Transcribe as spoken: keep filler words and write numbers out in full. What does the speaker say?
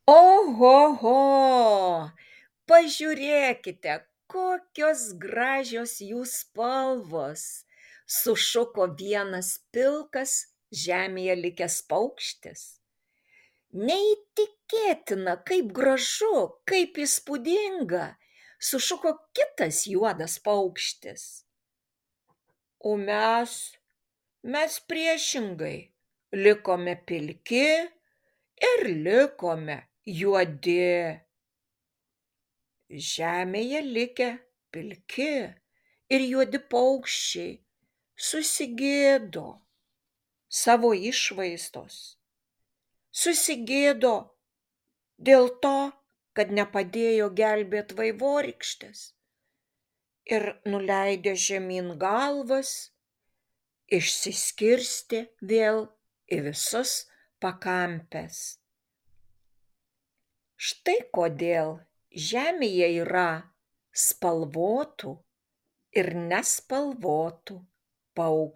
Ohoho! Pažiūrėkite, kokios gražios jų spalvos! Sušuko vienas pilkas žemėje likęs paukštis. Neįtikėtina, kaip gražu, kaip įspūdinga! Sušuko kitas juodas paukštis. O mes, mes priešingai, likome pilki ir likome juodi. Žemėje likę pilki ir juodi paukščiai susigėdo savo išvaizdos. Susigėdo dėl to, kad nepadėjo gelbėt vaivorykštės. Ir nuleidę žemyn galvas, išsiskirstė vėl į visas pakampes. Štai kodėl žemėje yra spalvotų ir nespalvotų paukščių.